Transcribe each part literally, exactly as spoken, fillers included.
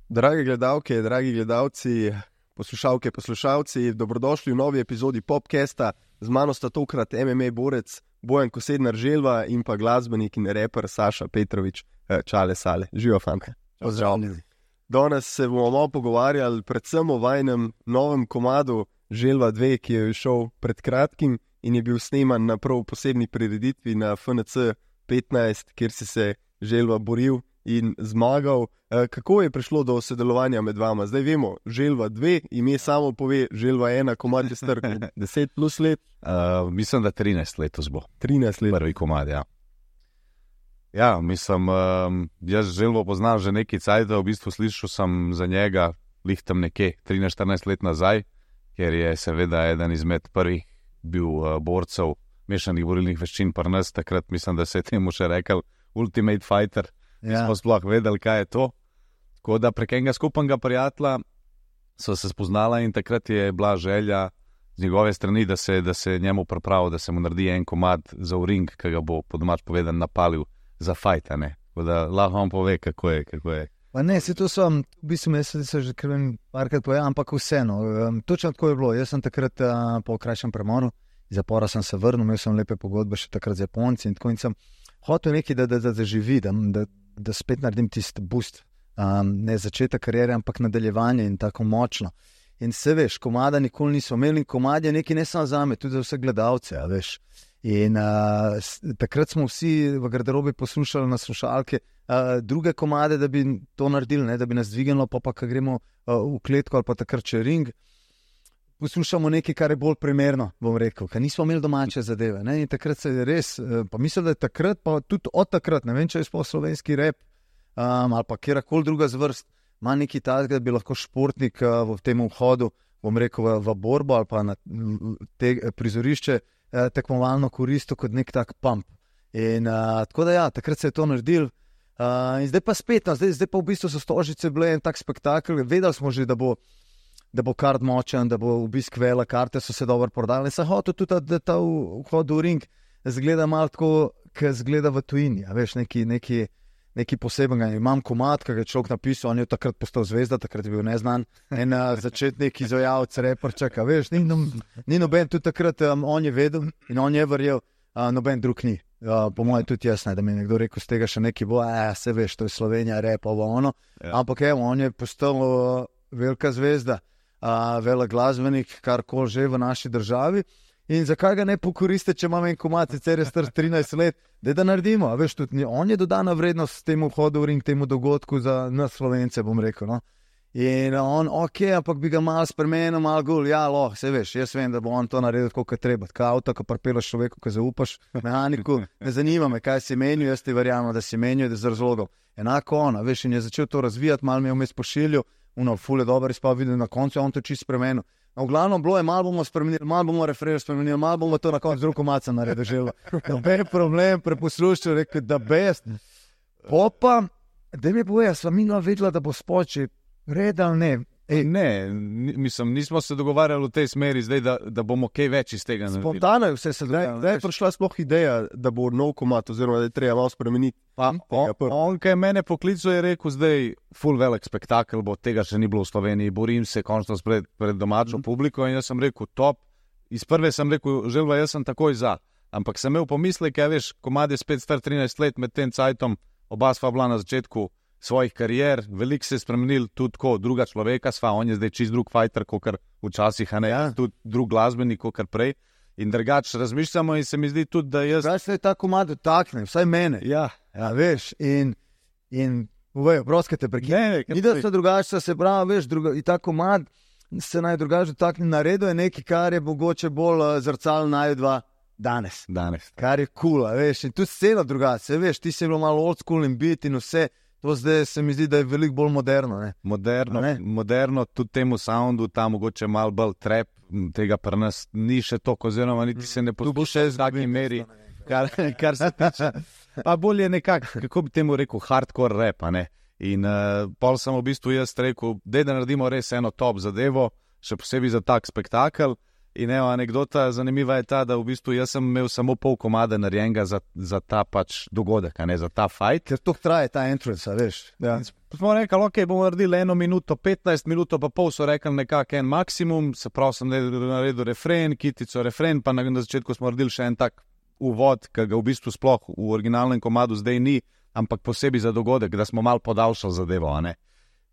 Drage gledalke, dragi gledalci, poslušalke, poslušalci, dobrodošli v novi epizodi Popcasta. Z mano sta tokrat M M A borec Bojan Kosednar-Želva in pa glasbenik in reper Saša Petrovič. Čale Sale. Živijo, fanta. Pozdravljeni. Danes se bomo malo pogovarjali predvsem o vajnem novem komadu Želva dva, ki je šel pred kratkim in je bil sneman na prav posebni prireditvi na F N C petnajst, kjer si se Želva boril in zmagal. Kako je prišlo do sodelovanja med vama? Zdaj vemo, Želva dva, ime samo pove, Želva ena, komad je star deset plus let. Uh, mislim, da trinajst letos bo. trinajst let. Prvi komad, ja. Ja, mislim, um, jaz Želvo poznam že nekaj cajta, v bistvu slišal sem za njega lih tam nekje trinajst štirinajst let nazaj, ker je seveda eden izmed prvih bil uh, borcev mešanih borilnih veščin pri nas, takrat mislim, da se je temu še rekel Ultimate Fighter. Ja. Smo sploh vedeli, kaj je to. Tako da prek enega skupnega prijatelja so se spoznala in takrat je bila želja z njegove strani, da se, da se njemu pripravi, da se mu naredi en komad za v ring, ki ga bo po domač povedan napalil za fajta, ne. Tako da lahko vam pove, kako je, kako je. Pa ne, se to sem, v bistvu jaz sem že krven parkrat povedal, ampak vseeno, um, točno tako je bilo. Jaz sem takrat uh, po krajšem premoru, iz zapora sem se vrnil, imel sem lepe pogodbe še takrat z Japonci in tako in sem hotel nekaj, da, da, da, da živi, da, da, da spet naredim tisti boost, um, ne začetek kariere, ampak nadaljevanje in tako močno. In se veš, komada nikoli niso imeli in komad je nekaj ne samo zame, tudi za vse gledalce, a veš. In uh, takrat smo vsi v garderobi poslušali na slušalke uh, druge komade, da bi to naredili, ne, da bi nas dvignilo, pa pa, ko gremo uh, v kletko ali pa takrat če ring, poslušamo nekaj, kar je bolj primerno, bom rekel, ker nismo imeli domače zadeve. Ne, in takrat se je res, uh, pa mislim, da je takrat, pa tudi od takrat, ne vem, če je sploh slovenski rap um, ali pa kjerkoli druga zvrst, ima nekaj takega, da bi lahko športnik uh, v tem vhodu, bom rekel, v, v borbo ali pa na te prizorišče tekmovalno koristil kot nek tak pump. In uh, tako da ja, takrat se je to naredil. Uh, in zdaj pa spet, no, zdaj, zdaj pa v bistvu so Stožice bile en tak spektakel. Vedeli smo že, da bo, da bo kart močen, da bo obisk vela, karte so se dobro prodali. In sem hotel tudi, da ta vhod v ring zgleda malo tako, kot zgleda v tujini. A veš, neki, neki, neki poseben. Imam komad, ki ga je človek napisal, on je takrat postal zvezda, takrat je bil neznan. En uh, začetnik izvajalec, reperček, a veš, ni, no, ni noben, tudi takrat um, on je vedel in on je verjel, uh, noben drug ni. Uh, po mojem tudi jaz ne, da mi je nekdo rekel, z tega še neki bo, a se veš, to je Slovenija, rep, ovo ono. Ja. Ampak evo, on je postal uh, velika zvezda, uh, vela glasbenik, karkoli že v naši državi. In zakaj ga ne pokoriste, če imam en komad, sicer je star trinajst let, da da naredimo, a veš, tudi on je dodana vrednost temu vhodu v ring, temu dogodku za nas Slovence, bom rekel, no. In on, ok, ampak bi ga malo spremenil, malo gul, ja, loh, se veš, jaz vem, da bo on to naredil tako, kot treba, tako avto, ko pripelaš človeku, ko zaupaš, mehaniku, ne zanima me, kaj si menil, jaz ti verjamem, da si menil, da z razlogom. Enako on, a veš, in je začel to razvijati, malo mi je vmes pošiljal, uno, ful je dober izpav, videl na koncu, on to čisto spremenil. No, v glavnem bilo je, malo bomo spremenili, malo bomo referir spremenili, malo bomo to na koncu drugo maca naredili želvo. Noben problem, preposlušal, rekel, da best. Popa, da mi boja, sva minula vedela, da bo spoči, red ali ne. Ej, ne, mislim, nismo se dogovarjali v tej smeri zdaj, da, da bomo kaj več iz tega naredili. Spontano je vse se dogajalo. Zdaj je prišla sploh ideja, da bo nov komad, oziroma da je treba malo spremeniti. Pa, on, on, ki je mene poklical, je rekel, zdaj full velik spektakel bo, tega še ni bilo v Sloveniji, borim se končno pred, pred domačo mm. publiko in jaz sem rekel, top. Iz prve sem rekel, Želva, jaz sem takoj za. Ampak sem imel pomislek, kaj veš, komad je spet star trinajst let med tem cajtom, oba sva bila na začetku svojih karier, veliko se je spremenil tudi ko druga človeka sva, on je zdaj čist drug fighter, kakor včasih, a ne, ja. Tudi drug glasbenik, kakor prej. In drugač razmišljamo in se mi zdi tudi, da jaz... Zdaj se je ta komad dotakne, vsaj mene. Ja, ja veš, in, in uvejo, proskate prekine. Ni da se drugače, se pravi, veš, druga, in ta komad se naj drugače dotakne, naredo je nekaj, kar je mogoče bolj uh, zrcal najdva danes. Danes. Kar je cool, veš, in tudi scena drugače, veš, ti si bilo malo old school in beat in vse. To zdaj se mi zdi, da je veliko bolj moderno. Ne? Moderno, ne? Moderno, tudi temu soundu, ta mogoče malo bolj trap, tega pri nas ni še toliko, oziroma niti se ne posluša v taki meri, kar, kar se tiče. Pa bolje nekako, kako bi temu rekel, hardcore rap, ne? In uh, pol sem v bistvu jaz rekel, dej da naredimo res eno top zadevo, še posebej za tak spektakel. In evo, anekdota zanimiva je ta, da v bistvu jaz sem imel samo pol komada narejenega za, za ta pač dogodek, a ne za ta fight. Ker to traje ta entrance, veš. Ja. Smo rekli, ok, bomo naredili eno minuto, petnajst minuto, pa pol so rekli nekako en maksimum, se pravi sem naredil refren, kitico refren, pa na, na začetku smo naredili še en tak uvod, ki ga v bistvu sploh v originalnem komadu zdaj ni, ampak posebej za dogodek, da smo malo podaljšali zadevo, a ne.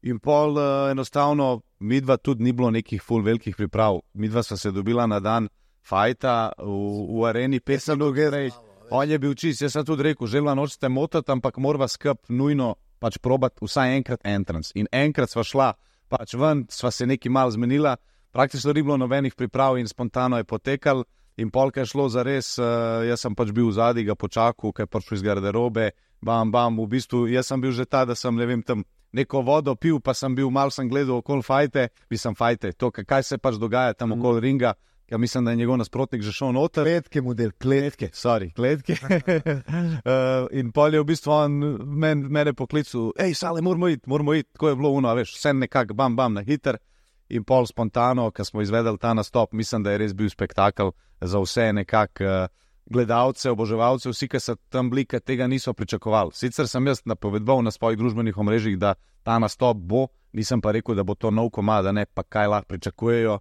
In pol uh, enostavno, midva tudi ni bilo nekih ful velikih priprav. Midva sva se dobila na dan fajta v, v areni pet minut prej. On je bil čist, jaz sem tudi rekel, želva nočete motati, ampak morava skup nujno pač probati vsaj enkrat entrance. In enkrat sva šla pač ven, sva se nekaj malo zmenila, praktično ni bilo nobenih priprav in spontano je potekal. In pol, kaj je šlo za res, uh, jaz sem pač bil v zadnji, ga počakal, kaj je prišel iz garderobe, bam, bam, v bistvu, jaz sem bil že ta, da sem, ne vem, tam neko vodo pil, pa sem bil, malo sem gledal okoli fajte, bi sem fajte, to, kaj se pač dogaja tam mm. okoli ringa, ja mislim, da je njegov nasprotnik že šel noter. Kletke model, kletke. Sorry, kletke. uh, in pol je v bistvu on men, mene poklical, ej, Sale, moramo iti, moramo iti, tako je bilo uno, veš, vse nekak, bam, bam, na hiter. In pol spontano, ko smo izvedeli ta nastop, mislim, da je res bil spektakel za vse nekak uh, gledalce, oboževalce, vsi, ki so tam bili, ki tega niso pričakovali. Sicer sem jaz napovedoval na svojih družbenih omrežjih, da ta nastop bo, nisem pa rekel, da bo to nov komad, da ne pa kaj lahko pričakujejo.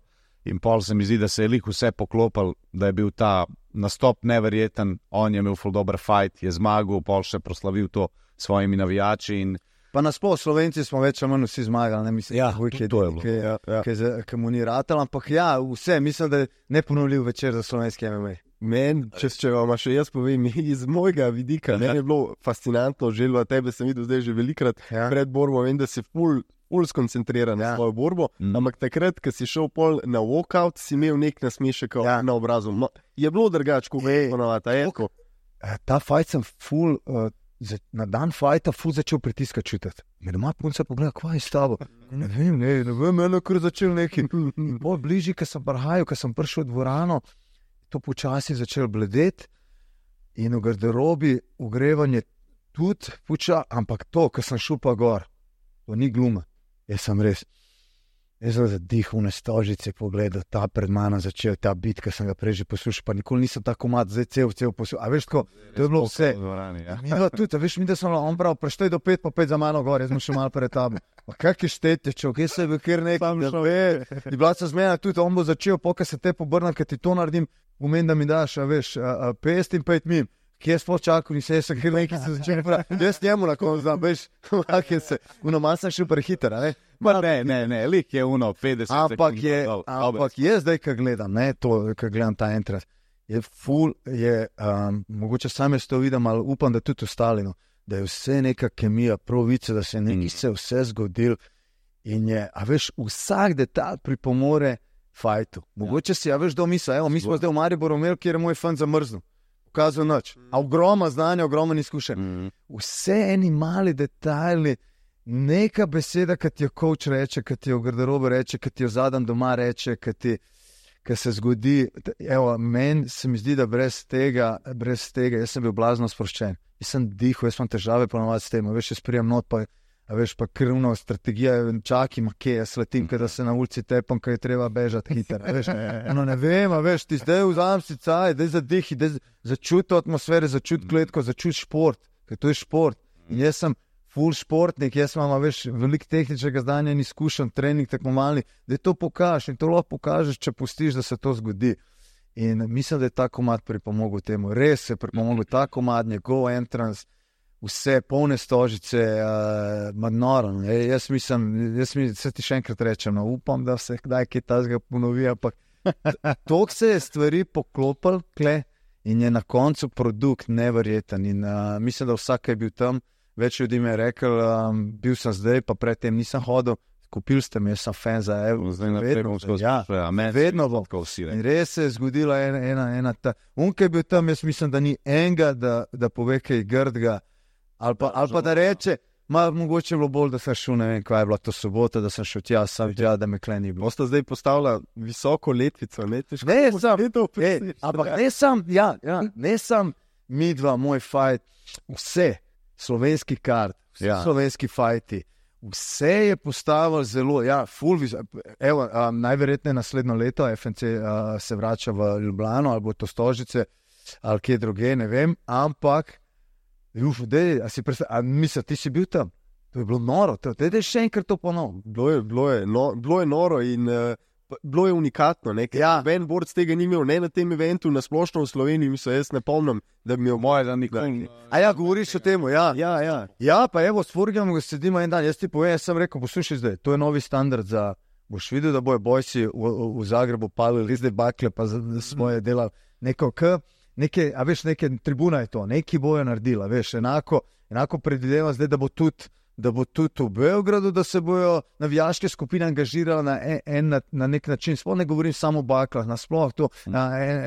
In pol se mi zdi, da se je lih vse poklopil, da je bil ta nastop neverjeten, on je imel ful dober fight, je zmagal, pol še proslavil to svojimi navijači in pa nasploh Slovenci smo več ali manj vsi zmagali, ne mislim, ja, da to je bilo. Ja, ja. Ki mu ni ratal, ampak ja, vse, mislim, da je neponovljiv večer za slovenski M M A. Meni, če, če vam še jaz povem, iz mojega vidika, meni je bilo fascinantno, želva tebe sem videl zdaj že velikrat ja. pred borbo, vem, da si ful, ful skoncentriran ja. na svojo borbo, mm. ampak takrat, ko si šel pol na walkout, si imel nek nasmešek ja. na obrazu. No, je bilo drugače, kot je ponovata, Erko? Ta fight sem ful... Uh, na dan fajta ful začel pritiska čutiti. Me doma punca pogleda, kva je s tabo? Ne vem, ne, ne vem, eno kar začel neki. Bolj bližji, ko sem prihajal, ko sem prišel v dvorano, to počasi začel bledeti in v garderobi ogrevanje tudi poča, ampak to, ko sem šel pa gor, to ni gluma. Jaz sem res, jaz sem zadihal na stožice, pogledal, ta pred mano začel ta bit, ko sem ga prej že poslušal, pa nikoli nisem tako mat, zdaj cel, cel poslušal. A veš tako, to je bilo vse. Dvorani, ja. Mi da tudi, veš, mi da sem on prav, preštej do pet, pa pet za mano gor, jaz sem še malo pred tabo. Pa kak je štete, čov, kje se je bil kjer nekaj, da ve, in bila se zmena tudi, on bo začel, poka se te pobrnat, kad ti to naredim, pomen, da mi daš, a veš, pest in pet mim. Kje je sploh čakal, ni se, jaz sem kjer nekaj se začel prav. Jaz njemu na koncu znam, veš, kak je se, uno malo sem šel prehiter, a ne? Ma ne, ne, ne, lik je uno petdeset ampak je, ampak je zdaj, ko gledam, ne, to, ko gledam ta entrance, je ful, je, um, mogoče sam jaz to vidim, ali upam, da tudi ostali, no, da je vse neka kemija, pravice, da se je nekaj se vse zgodil in je, a veš, vsak detalj pripomore fajtu. Mogoče si, a veš, do misla, evo, mi smo zdaj v Mariboru imeli, kjer je moj fan zamrznil. Pokazal noč. A ogromno znanja, ogromno izkušenj. Mm. Vse eni mali detajli, neka beseda, ki ti jo coach reče, ki ti jo v garderobi reče, ki ti jo zadam doma reče, ki ti, ki se zgodi. Evo, meni se mi zdi, da brez tega, brez tega, jaz sem bil blazno sproščen. Jaz sem dihal, jaz imam težave ponovati s tem, veš, jaz prijem not, pa a veš, pa krvno strategija, čakam, kje jaz letim, kada se na ulici tepam, kaj je treba bežati hiter, veš, no ne vem, a veš, ti zdaj vzam si caj, daj zadihi, daj začuti atmosfere, začuti kletko, začuti šport, ker to je šport, in jaz sem full športnik, jaz imam, veš, veliko tehničnega znanja in izkušenj, trening tekmovalni, da to pokažeš in to lahko pokažeš, če pustiš, da se to zgodi. In mislim, da je ta komad pripomogel temu, res je pripomogel ta komad, njegov entrance, vse polne stožice, uh, madnoro. Jaz mislim, jaz mi se ti še enkrat rečem, no, upam, da se kdaj kaj tazga ponovi, ampak toliko se je stvari poklopil, kle, in je na koncu produkt neverjeten. In uh, mislim, da vsak je bil tam, več ljudi mi je rekel, um, bil sem zdaj, pa predtem nisem hodil, kupil ste me, jaz sem fan za Evo. Vedno, ja, vedno bom. In res se je zgodila ena, ena, ena ta. Unke je bil tam, jaz mislim, da ni enega, da, da pove kaj grdga, ali pa, ali pa da reče, ma, mogoče je bilo bolj, da sem šel, ne vem, kaj je bila to sobota, da sem šel tja, sam tja, da me kleni bilo. Boste zdaj postavila visoko letvico, ne? Težko, ne, sam, ej, ampak ne sam, ja, ja, ne sam midva, moj fight, vse, slovenski kart, vse ja. slovenski fighti, vse je postavil zelo, ja, full viz. Evo, um, najverjetneje naslednjo leto F N C uh, se vrača v Ljubljano ali bo to Stožice ali kje druge, ne vem, ampak uf, dej, a si predstavljal, a misliš, ti si bil tam? To je bilo noro, dej, dej še enkrat to ponovno. Bilo je, bilo je, no, bilo je noro in uh, bilo je unikatno. Ja. Ben Borc tega ni imel, ne na tem eventu, na splošno v Sloveniji, mislim, jaz ne pomnim, da bi imel moje, da nikoli. A ja, govoriš o tem, ja. Ja, ja. Ja, pa evo, s Furgijom sedimo en dan, jaz ti povem, jaz sem rekel, poslušaj zdaj, to je novi standard za, boš videl, da bojo bojci v, v, v Zagrebu palili zdaj bakle, pa za, za svoje delali neko k, neke, a veš, neke tribuna je to, neki bojo naredila, veš, enako, enako predvidevam zdaj, da bo tudi da bo tudi v Beogradu, da se bojo navijaške skupine angažirale na, en, en, na, na nek način. Sploh ne govorim samo o baklah, nasploh to na en,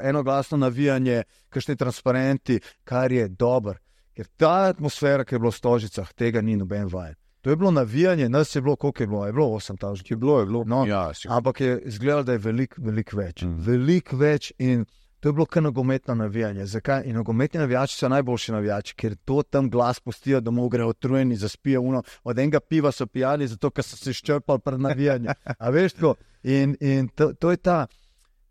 enoglasno navijanje, kakšni transparenti, kar je dober. Ker ta atmosfera, ki je bila v Stožicah, tega ni noben vajen. To je bilo navijanje, nas je bilo, koliko je bilo? Je bilo osem tisoč. Je bilo, je bilo. No, ja, ampak je izgledalo, da je veliko, veliko več. Mm. Veliko več in to je bilo kar nogometno navijanje. Zakaj? In nogometni navijači so najboljši navijači, ker to tam glas pustijo, domov grejo otrujeni, zaspijo uno. Od enega piva so pijani, zato ker so se izčrpali pred navijanjem. A veš tako? In, in to, to je ta,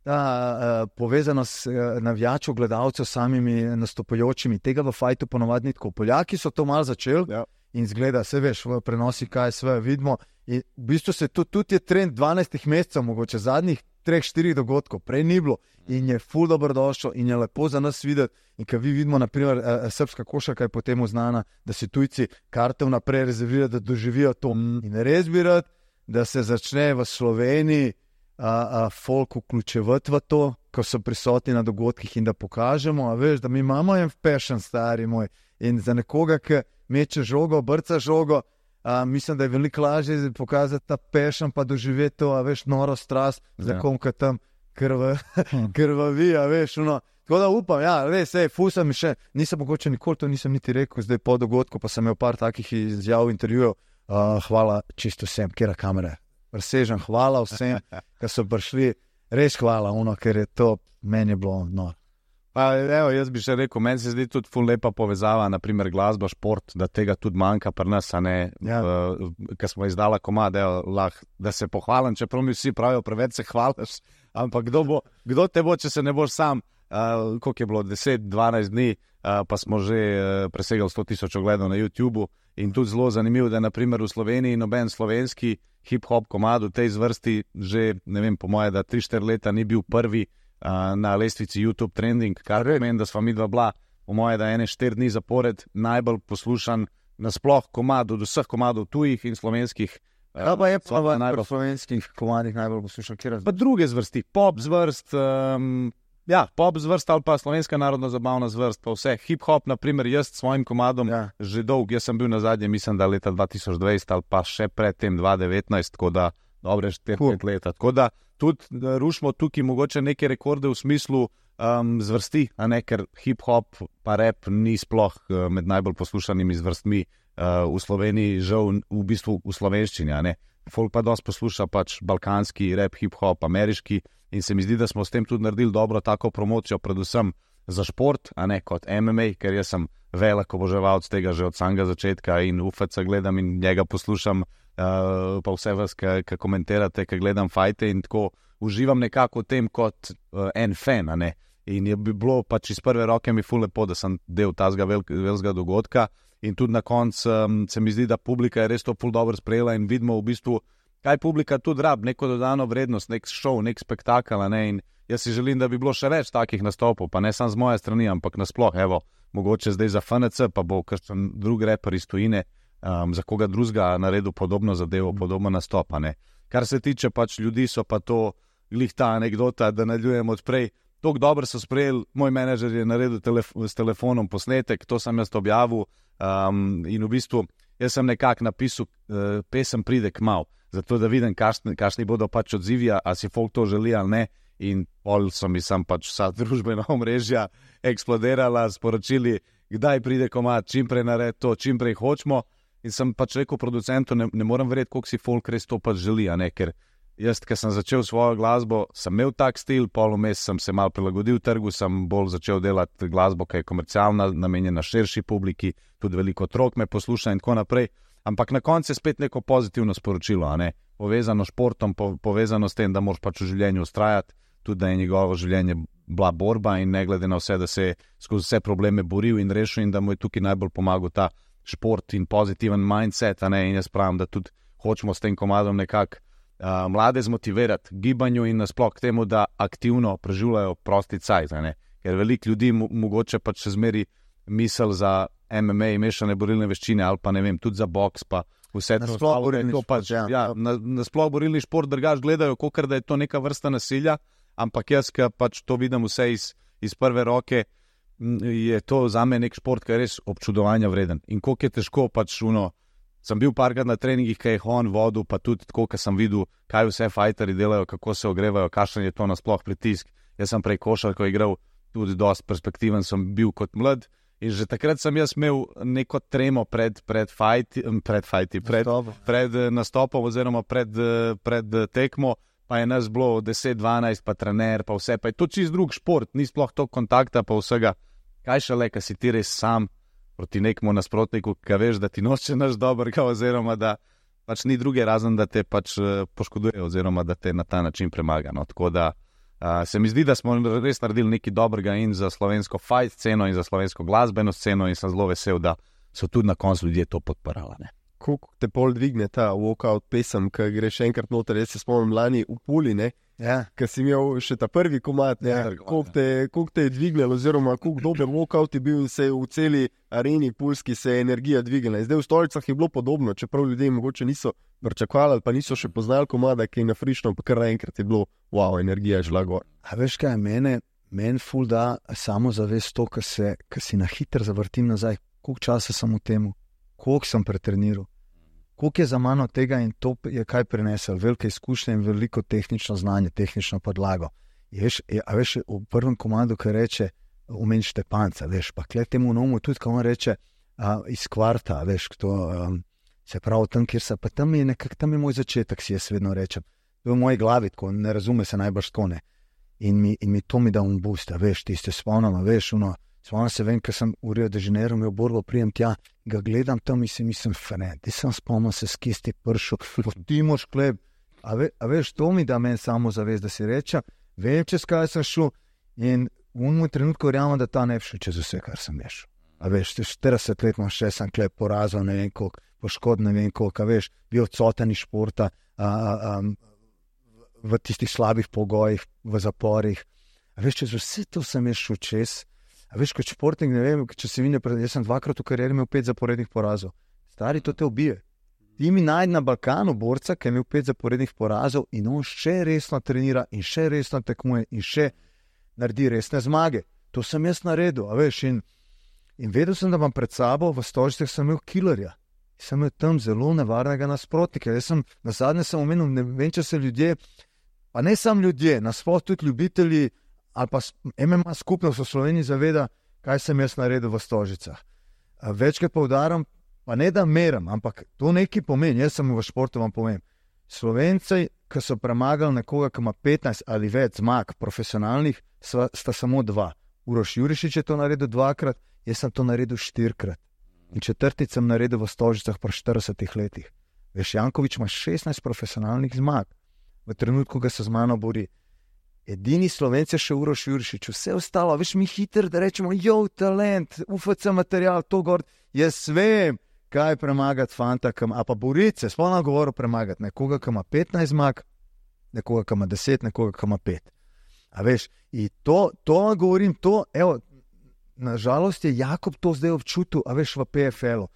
ta uh, povezanost uh, navijačev, gledalcev s samimi nastopajočimi. Tega v fajtu ponovadi ni tako. Poljaki so to malo začeli ja. In zgleda, se veš, v prenosi kaj sve vidimo. In v bistvu se to tudi je trend dvanajstih mesecev, mogoče zadnjih treh, štirih dogodkov, prej ni bilo in je ful dobrodošlo in je lepo za nas videti. In ko vi vidimo, naprimer, srpska košarka je potem znana, da si tujci karte vnaprej rezervirajo, da doživijo to. In res bi rad, da se začne v Sloveniji a, a, folk vključevati v to, ko so prisotni na dogodkih in da pokažemo, a veš, da mi imamo en passion, stari moj. In za nekoga, ki meče žogo, brca žogo, a, mislim, da je veliko lažje pokazati ta passion, pa doživeti to, a veš, noro strast, za ja. Kom, ki tam krva, krvavi, a veš, no. Tako da upam, ja, res, ej, fusam mi še, nisem mogoče nikoli to nisem niti rekel, zdaj po dogodku, pa sem imel par takih izjav, intervjujev, uh, hvala čisto vsem, kjera kamere, presežem, hvala vsem, ki so prišli, res hvala, ono, ker je to, meni je bilo noro. Pa, evo, jaz bi še rekel, meni se zdi tudi ful lepa povezava, naprimer glasba, šport, da tega tudi manjka pri nas, a ne, ja. uh, ker smo izdala komad, evo, lah, da se pohvalim, čeprav mi vsi pravijo, preveč se hvališ, ampak kdo, bo, kdo te bo, če se ne boš sam, uh, koliko je bilo, deset, dvanajst dni, uh, pa smo že uh, presegali sto tisoč ogledov na YouTubu in tudi zelo zanimivo, da naprimer v Sloveniji noben slovenski hip-hop komad v tej zvrsti že, ne vem, po moje, da tri štiri leta ni bil prvi na lestvici YouTube Trending, kar pomeni, da sva midva bila, po moje, da ene štiri dni zapored najbolj poslušan nasploh komad od vseh komadov tujih in slovenskih. Ja, pa je pa v najbolj slovenskih komadih najbolj poslušan, kjer različno. Pa druge zvrsti, pop zvrst, um, ja, pop zvrst ali pa slovenska narodno zabavna zvrst, pa vse, hip-hop, naprimer, jaz s svojim komadom ja. Že dolg, jaz sem bil na zadnje, mislim, da leta dva tisoč dvajset ali pa še pred tem dva tisoč devetnajst, tako da dobre štiri pet cool. Leta, tako da tudi rušimo tukaj mogoče neke rekorde v smislu um, zvrsti, a ne, ker hip-hop pa rap ni sploh uh, med najbolj poslušanimi zvrstmi uh, v Sloveniji, žal v bistvu v slovenščini, a ne. Folk pa dosti posluša pač balkanski rap, hip-hop, ameriški in se mi zdi, da smo s tem tudi naredili dobro tako promocijo, predvsem za šport, a ne kot M M A, ker jaz sem velik oboževalec tega že od samega začetka in U F C gledam in njega poslušam. Uh, pa vse vas, ki komentirate, ki gledam fajte in tako uživam nekako v tem kot uh, en fan, a ne. In je bi bilo pač iz prve roke mi ful lepo, da sem del tazga velikega dogodka in tudi na koncu um, se mi zdi, da publika je res to ful dobro sprejela in vidimo v bistvu, kaj publika tudi rab, neko dodano vrednost, nek show, nek spektakl, a ne. In jaz si želim, da bi bilo še več takih nastopov, pa ne samo z moje strani, ampak nasploh, evo, mogoče zdaj za F N C, pa bo kakšen drug reper iz tujine, Um, za koga drugega naredil podobno zadevo, podobno nastopane. Kar se tiče pač ljudi, so pa to glih ta anekdota, da nadaljujem odprej. Tok dobro so sprejeli, moj menedžer je naredil telef s telefonom posnetek, to sem jaz objavil um, in v bistvu jaz sem nekako napisal, uh, pesem pride kmalu, zato da vidim, kakšni, kakšni bodo pač odzivi, a si folk to želi ali ne. In pol so mi sam pač vsa družbena omrežja eksplodirala, sporočili, kdaj pride komad, čim prej nared to, čim prej hočemo. In sem pač rekel producentu, ne, ne morem verjeti, koliko si folk res to pač želi, a ne, ker jaz, ker sem začel svojo glasbo, sem imel tak stil, pol vmes sem se malo prilagodil trgu, sem bolj začel delati glasbo, ki je komercialna, namenjena širši publiki, tudi veliko otrok me posluša in tako naprej, Ampak na koncu je spet neko pozitivno sporočilo, a ne? Povezano s športom, po, povezano s tem, da moraš pač v življenju ustrajati, tudi da je njegovo življenje bila borba in ne glede na vse, da se je skozi vse probleme boril in rešil in da mu je tukaj najbolj pomagal ta šport in pozitiven mindset, a ne? In jaz pravim, da tudi hočemo s tem komadom nekako uh, mlade zmotivirati gibanju in nasploh k temu, da aktivno preživljajo prosti cajt, a ne? Ker veliko ljudi mo- mogoče pač še zmeri misel za M M A, mešane borilne veščine ali pa ne vem, tudi za boks pa vse to. Nasploh borilni to pač, šport, ja. ja, na, nasploh borilni šport drugač gledajo, kakor da je to neka vrsta nasilja, ampak jaz, ki pač to vidim vse iz, iz prve roke, je to zame nek šport, ki je res občudovanja vreden. In koliko je težko pač uno, sem bil parkrat na treningih, ki je on vodil, pa tudi tako, ko sem videl, kaj vse fajteri delajo, kako se ogrevajo, kakšen je to nasploh pritisk. Jaz sem prej košarko igral, tudi dosti perspektiven sem bil kot mlad. In že takrat sem jaz imel neko tremo pred, pred, fajti, pred, fajti, pred, pred nastopom oziroma pred, pred tekmo, pa je nas bilo deset dvanajst, pa trener, pa vse, pa je to čist drug šport, ni sploh to kontakta, pa vsega. Kaj šele, ka si ti res sam proti nekmu nasprotniku, ka veš, da ti noče naš dobrega, oziroma da pač ni druge razen, da te pač poškoduje, oziroma da te na ta način premaga. No, tako da Uh, se mi zdi, da smo res naredili nekaj dobrega in za slovensko fight sceno in za slovensko glasbeno sceno in sem zelo vesel, da so tudi na koncu ljudje to podparali. Kako te pol dvigne ta walkout pesem, ki greš enkrat noter, jaz se spomnim lani v Puli, ne? Ja. Ker si imel še ta prvi komad, ne? Ja, Koliko te, koliko te je dvignilo, oziroma koliko dober walkout je bil, se je v celi areni pulski se je energija dvignila. Zdaj v Stolicah je bilo podobno, čeprav ljudje mogoče niso pričakovali, pa niso še poznali komada, ki je na frišno, pa kar enkrat je bilo, wow, energija je šla gor. A veš kaj, mene, meni ful da samo zavest to, ko se, ko si na hitro zavrtim nazaj, koliko časa sem v temu, koliko sem pretreniral. Koliko je za mano tega in to je kaj prinesel, velike izkušnje in veliko tehnično znanje, tehnično podlago. Je, veš, je, a veš, v prvem komadu, ki reče, umeni Štepanca, veš, pa kle temu nomu tudi, ko on reče, a, iz kvarta, veš, to, um, se pravi tam, kjer se, pa tam je nekak, tam je moj začetek, si jaz vedno rečem. To je v moji glavi, tako, ne razume se najbrž tako, ne. In mi, in mi to mi da un boost, a veš, tiste spomnama, veš, ono, spomnim se, vem, ker sem v Rio de Janeiro imel borbo, prijem tja, ga gledam tam in si mislim, fene, ti sem spomnil se skisti pršo, ti moš kleb, a, ve, a veš, to mi da meni samo zavest, da si rečem, vem, čez kaj sem šel in v unem trenutku verjamem, da ta ne bi šel čez vse, kar sem ješel. A veš, štirideset let imam še, sem kleb porazil, ne vem koliko, poškod, ne vem koliko, a veš, bil odsoten iz športa, a, a, a, v tistih slabih pogojih, v zaporih, a veš, čez vse to sem ješel čez. A veš, kot športnik, ne vem, če se vine, jaz sem dvakrat v karieri imel pet zaporednih porazov. Stari, to te ubije. Ti mi najdi na Balkanu borca, ki je imel pet zaporednih porazov in on še resno trenira in še resno tekmuje in še naredi resne zmage. To sem jaz naredil, a veš, in, in vedel sem, da imam pred sabo, v Stožicah sem imel killerja. Sem imel tam zelo nevarnega nasprotnika. Jaz sem, na zadnje sem omenil, ne vem, če se ljudje, pa ne samo ljudje, nasploh tudi ljubitelji, ali pa M M A skupnost v Sloveniji zaveda, kaj sem jaz naredil v Stožicah. Večkrat poudaram, pa ne da meram, ampak to nekaj pomeni, jaz sem v športu vam povem. Slovenci, ki so premagali nekoga, ki ima petnajst ali več zmag profesionalnih, sta, sta samo dva. Uroš Jurišič je to naredil dvakrat, jaz sem to naredil štirikrat. In četrtič sem naredil v Stožicah pri štiridesetih letih. Veš, Janković ima šestnajst profesionalnih zmag. V trenutku, ko se z mano bori. Edini Slovenci je še Uroš Jurišič, vse ostalo, veš, mi hitro, da rečemo, jo, talent, U F C material, to gor, jaz vem, kaj premagati fanta, kam, a pa boriti se, spolno govorim premagati, nekoga, ki ima petnajst zmag, nekoga, ki ima deset, nekoga, ki ima pet. A veš, in to, to govorim, to, evo, nažalost je Jakob to zdaj občutil, a veš, v P F L-u.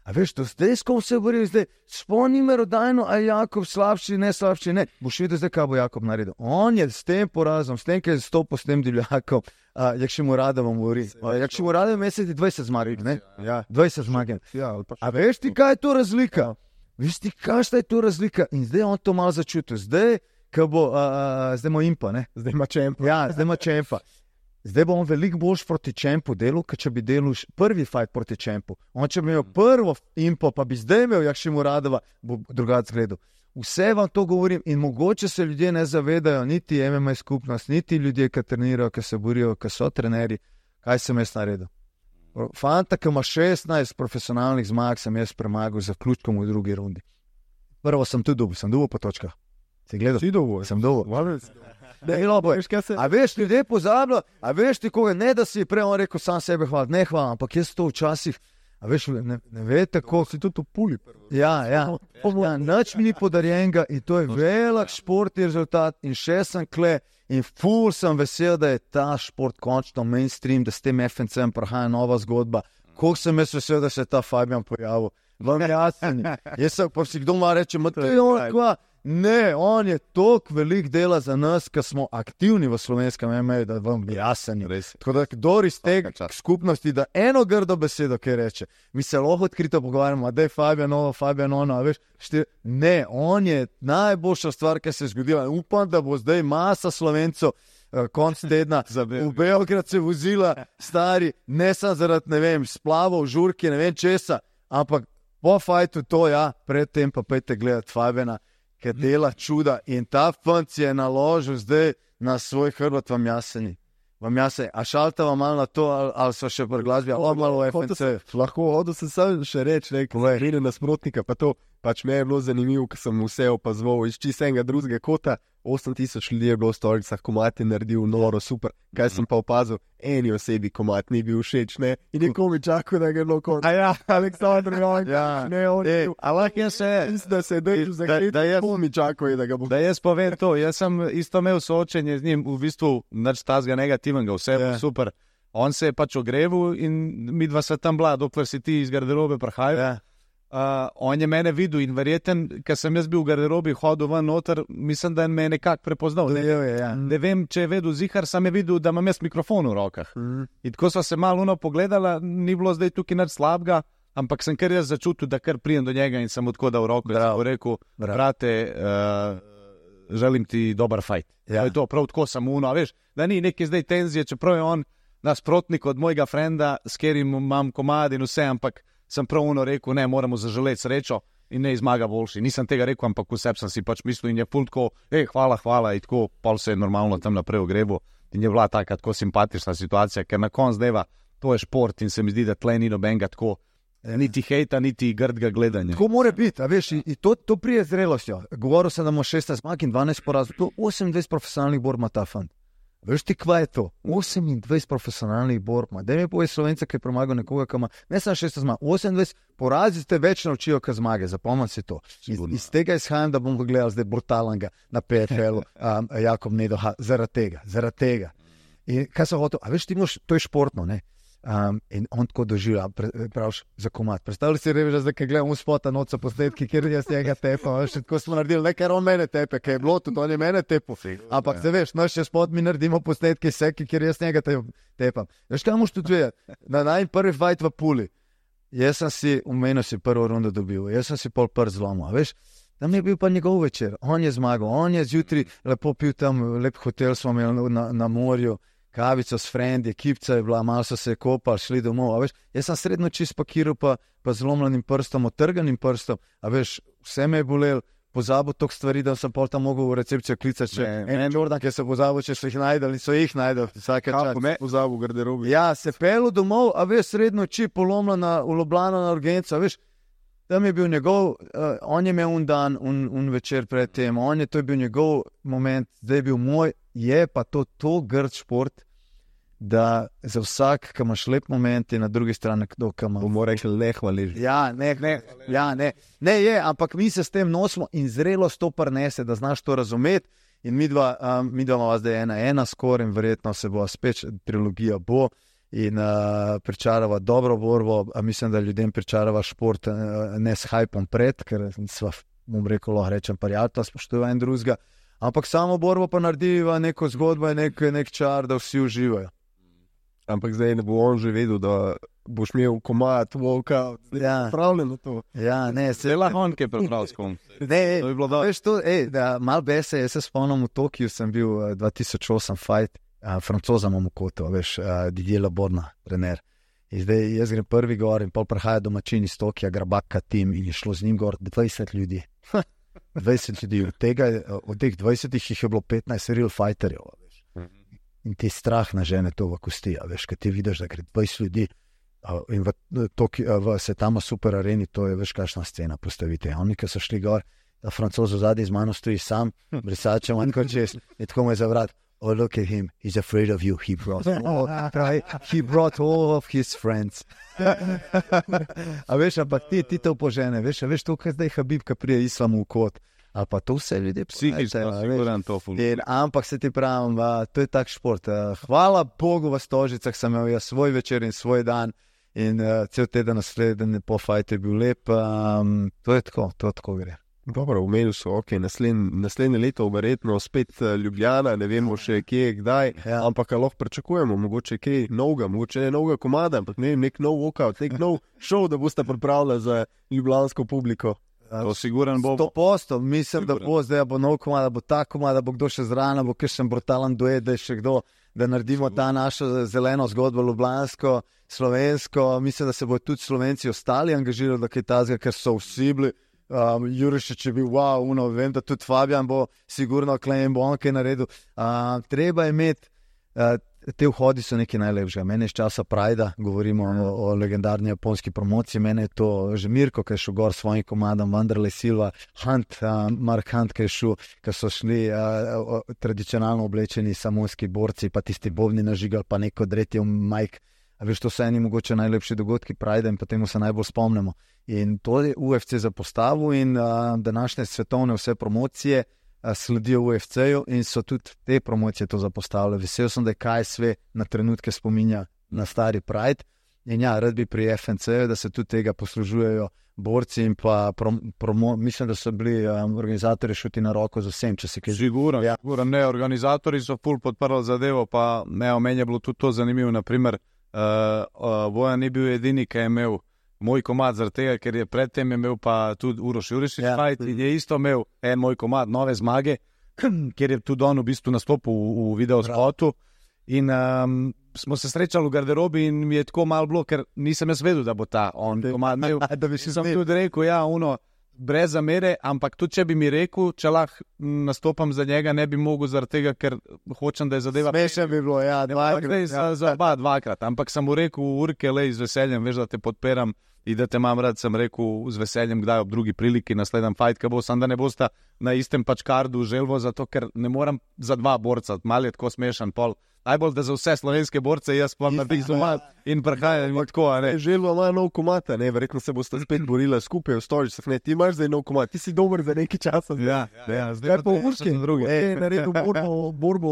A veš, to zdaj, s kom se boril, zdaj, spomni merodajno, a Jakob slabši, ne slabši, ne. Boš videl zdaj, kaj bo Jakob naredil. On je s tem porazom, s tem, ki je stopil s tem divljakom, Jakšimuradovom govori. Jakšimurado je mesec dvajset zmag, ne? Ja, dvajset zmag. Ja, a veš ti, kaj je to razlika? Veš ti, kaj je to razlika? In zdaj on to malo začutil. Zdaj, ko bo, a, a, zdaj ima impa, ne? Zdaj ima čempa. Ja, zdaj ima čempa. Zdaj bo on veliko boljš proti čempu delal, kot če bi delal prvi fight proti čempu. On če bi imel prvo impo, pa bi zdaj imel Jakšimuradova, bo drugače gledal. Vse vam to govorim in mogoče se ljudje ne zavedajo, niti M M A skupnost, niti ljudje, ki trenirajo, ki se borijo, ki so trenerji, kaj sem jaz naredil. Fanta, ki ima šestnajst profesionalnih zmag, sem jaz premagal z zaključkom v drugi rundi. Prvo sem tudi dobil, sem dobil po točkah. Si gledal? Si dobil? Sem dobil. Ne, veš, kaj se... A veš, ljudje pozabljajo, a veš ti koga, ne da si prej on rekel sam sebe hvala, ne hvala, ampak jaz to včasih, a veš, ne, ne vete, kako si tudi v puli. Ja, ja, ja, nič mi ni podarjenega in to je velik športni rezultat in še sem kle in ful sem vesel, da je ta šport končno mainstream, da s tem F N C-em prihaja nova zgodba. Koliko sem jaz vesel, da se je ta Fabijan pojavil. Vam jasni. Jaz sem pa si kdo ma reče, ma to je on kva. Ne, on je toliko velik dela za nas, ki smo aktivni v slovenskem M M A, da vam jasen. Tako da, kdor iz tega skupnosti, da eno grdo besedo, kaj reče, mi se lahko odkrito pogovarjamo, da je Fabijan ovo, Fabijan ono, veš, štir... ne, on je najboljša stvar, ki se je zgodila. Upam, da bo zdaj masa Slovencov uh, konc tedna v Beograd se vozila, stari, ne samo zaradi, ne vem, splavov, žurke, ne vem česa, ampak po fajtu to, ja, predtem pa pejte gledati Fabijana, ki dela čuda in ta fant je naložil zdaj na svoj hrbet, vam jasni. Vam jasni. A šaltava malo na to, ali, ali so še pri glasbi, ali malo v F N C. Lahko hodil sem sam še reči, nekaj vrede nasprotnika, pa to pač me je bilo zanimivo, ker sem vse opazoval iz čisto enega drugega kota. osem tisoč ljudi je bilo v stolicah, komat je naredil noro, super. Kaj sem pa opazil, eni osebi komat ni bil všeč, ne? In nekomu čakal, da ga je bilo kot. A ja, Aleksandr Jovank, ja. Ne, on je bil. A lahko jaz se, Da se je držal za da, krit, da jaz, mi čakal, da ga bo. da jaz povem to, jaz sem isto imel soočenje z njim, v bistvu nič tazga negativnega, vse je Ja. super. On se je pač ogrevil in mi dva se tam bila, dokler si ti iz garderobe prihajal. Ja. Uh, on je mene videl in verjeten, ker sem jaz bil v garderobi, hodil ven noter, mislim, da je me nekako prepoznal. Ne, Leo je, ja. ne vem, če je vedel zihar, sem je videl, da imam jaz mikrofon v rokah. Mm. In tako sva se malo uno pogledala, ni bilo zdaj tukaj nič slabega, ampak sem kar jaz začutil, da kar prijem do njega in sem odkodal roko. In sem mu rekel, Bravo. brate, uh, želim ti dober fajt. Ja. To je to, prav tako sem uno, veš, da ni neke zdaj tenzije, čeprav je on nasprotnik od mojega frenda, s katerim imam komad in vse, ampak sem prav uno rekel, ne, moramo zaželeti srečo in ne izmaga boljši. Nisem tega rekel, ampak vseb sem si pač mislil in je pult tako, hej, hvala, hvala, in tako, pol se je normalno tam naprej ogrebil in je bila taka tako simpatična situacija, ker na konc dneva to je šport in se mi zdi, da tle ni nobenega tako, niti hejta, niti grdega gledanja. Tako mora biti, a veš, in to, to prije zrelostjo. Govoril sem, da ima šestnajst zmag in dvanajst porazov, to osemindvajset profesionalnih borb ima ta fant. Veš ti, kva je to? osemindvajset profesionalnih borb ima. Daj mi povej Slovenca, ki je premagal nekoga, ki ima ne samo šestnajst zmag, osemindvajset porazi te več naučijo, kot zmage, zapomnim si to. Iz, iz tega izhajam, da bom gledal zdaj brutalnega na P F L-u, um, Jakob Nedoha, zaradi tega, zaradi tega. In kaj sem hotel, a veš ti moš, to je športno, ne? Um, in on tako doživlja, praviš za komad. Predstavljaj si reveža, zdaj, kaj gledam v spota noca posnetki, kjer jaz njega tepam, veš, tako smo naredili, ne, ker on mene tepe, kaj je bilo, tudi on je mene tepal. Ampak se veš, naš še spot mi naredimo posnetki seki, kjer jaz njega tepam. Veš, kaj moš tudi vedeti? Na najn prvi fight v Puli, jaz sem si, umenil si prvo rundo dobil, jaz sem si pol prst zlomil, veš, tam je bil pa njegov večer, on je zmagal, on je zjutraj lepo pil tam, lep hotel smo imeli na, na morju, kavico s frendi, ekipca je bila, malo so se kopali, šli domov, a veš, jaz sem srednjo čist pakiral pa, pa zlomljenim prstom, otrganim prstom, a veš, vse me je bolel, pozabil toliko stvari, da sem pol tam mogel v recepcijo klicati, če en Jordan, ki se pozabil, če so jih najdali, so jih najdali, vsake čas. Kako me pozabil v garderobi? Ja, se pelu domov, a veš, srednjo čist polomljena v Ljubljano na urgenco, a veš, tam je bil njegov, uh, on je imel un dan, un, un večer pred tem, on je, to je bil njegov moment, zdaj je bil moj, je pa to to grd šport, da za vsak, ki imaš lep moment, je na drugi strani kdo, ki ima. Bomo rekli, ne hvaleži. Ja, ne, ne, ja, ne, ne je, ampak mi se s tem nosimo in zrelost to prinese, da znaš to razumeti. In mi dva, um, mi dva imamo zdaj ena, ena skoraj in verjetno se bo spet trilogija bo in uh, pričarava dobro borbo, a mislim, da ljudem pričarava šport uh, ne s hajpom pred, ker sva, bom rekel, lahko rečem prijatelj, spoštuje en drugega, ampak samo borbo pa narediva neko zgodbo in nek, nek čar, da vsi uživajo. Ampak zdaj ne bo on že vedel, da boš imel komad, walkout, Ja. pravljeno to. Ja, ne, se Cela honke je prepravil s kom. Ne, ej, To bi bilo dobro. veš to, ej, da mal bese, jaz se spomnim v Tokiju, sem bil uh, dva tisoč osem fight, uh, Francoza imam v kotu, veš, uh, Didier Laborna, trener. In zdaj jaz grem prvi gor in pol prihaja domačin iz Tokija, Grabaka tim in je šlo z njim gor dvajset ljudi. dvajset ljudi, od tega, od teh dvajsetih jih je bilo petnajst real fighterjev, veš. In ti strah na žene to v kosti, a veš, kad ti vidiš, da gre dvajset ljudi Uh, in v, to, v Setama Super Areni, to je veš kakšna scena, postavite. Oni, ki so šli gor, ta Francoz v zadnji z mano stoji sam, brisačem, manj kot čez, in tako me zavrat. Oh, look at him, he's afraid of you, he brought all, right? He brought all of his friends. A veš, ampak ti, ti to požene, veš, a veš to, kaj zdaj Habib, ki prije islamu v kot, ali pa to vse ljudje psihično, siguran to ful. Ampak se ti pravim, a, to je tak šport. A, hvala Bogu v Stožicah sem imel jaz svoj večer in svoj dan in a, cel teden naslednji po fajtu je bil lep. A, to je tako, to tako gre. Dobro, omenil so, ok, naslednje, naslednje leto verjetno spet Ljubljana, ne vemo še kje, kdaj, ja. Ampak lahko pričakujemo, mogoče kaj novega, mogoče ne novega komada, ampak ne vem, nek nov walkout, nek nov show, da boste pripravili za ljubljansko publiko. To siguran bo. sto posto, mislim, siguran. Da bo zdaj bo nov komad, da bo ta komad, da bo kdo še zraven, bo kakšen brutalen duet, da je še kdo, da naredimo ta našo zeleno zgodbo ljubljansko, slovensko, mislim, da se bo tudi Slovenci ostali angažirali, da kaj tazga, ker so vsi bili. Um, Jurišič je bil, wow, uno, vem, da tudi Fabian bo sigurno klejem bo on kaj naredil. Uh, treba je imeti, uh, te vhodi so nekaj najlepšega. Mene iz časa Prajda, govorimo o, o legendarni japonski promociji, mene je to že Mirko, ki je šel gor s svojim komadom, Vanderlei Silva, Hunt, uh, Mark Hunt, ki je šel, ki so šli uh, tradicionalno oblečeni samoski borci, pa tisti bobni nažigal, pa neko dretje v Mike. A veš, to so eni mogoče najlepši dogodki Prajda in potem se najbolj spomnimo. In to je U F C zapostavil in uh, današnje svetovne vse promocije uh, sledijo U F C-ju in so tudi te promocije to zapostavile. Vesel sem, da je K S V na trenutke spominja na stari Pride in ja, rad bi pri F N C-ju, da se tudi tega poslužujejo borci in pa prom, promo, mislim, da so bili um, organizatorji šuti na roko z vsem, če se kaj Sigurno, ja. Sigurno, ne, organizatorji so ful podprli zadevo, pa ne, meni je bilo tudi to zanimivo, naprimer, Uh, uh, Bojan ni bil edini, ki je imel moj komad zaradi tega, ker je predtem imel pa tudi Uroš Jurišič yeah. fight in je isto imel en moj komad Nove zmage, kjer je tudi on v bistvu nastopil v, v videospotu in um, smo se srečali v garderobi in mi je tako malo bilo, ker nisem jaz vedel, da bo ta on komad imel. Da bi sem tudi rekel, ja, uno, brez zamere, ampak tudi če bi mi rekel, če lahko nastopam za njega, ne bi mogel zaradi tega, ker hočem, da je zadeva. Smešno bi bilo, ja, dvakrat. Ja, za oba dvakrat, ampak sem mu rekel, Urke, lej, z veseljem, veš, da te podpiram in da te imam rad, sem rekel z veseljem, kdaj ob drugi priliki naslednjem fight, ki bo, sam da ne bosta na istem pač kardu želvo, zato ker ne moram za dva borca, malo je tako smešan pol. Najbolj, da za vse slovenske borce jaz pa na tih zomat in prehajam in tako, ne. Želva ima nov komad, ne, verjetno se boste spet borila skupaj v Stožicah, ne, ti imaš zdaj nov komad, ti si dober za nekaj časa. Ja, ja, ja, zdaj pa v Urski, e, naredil borbo, borbo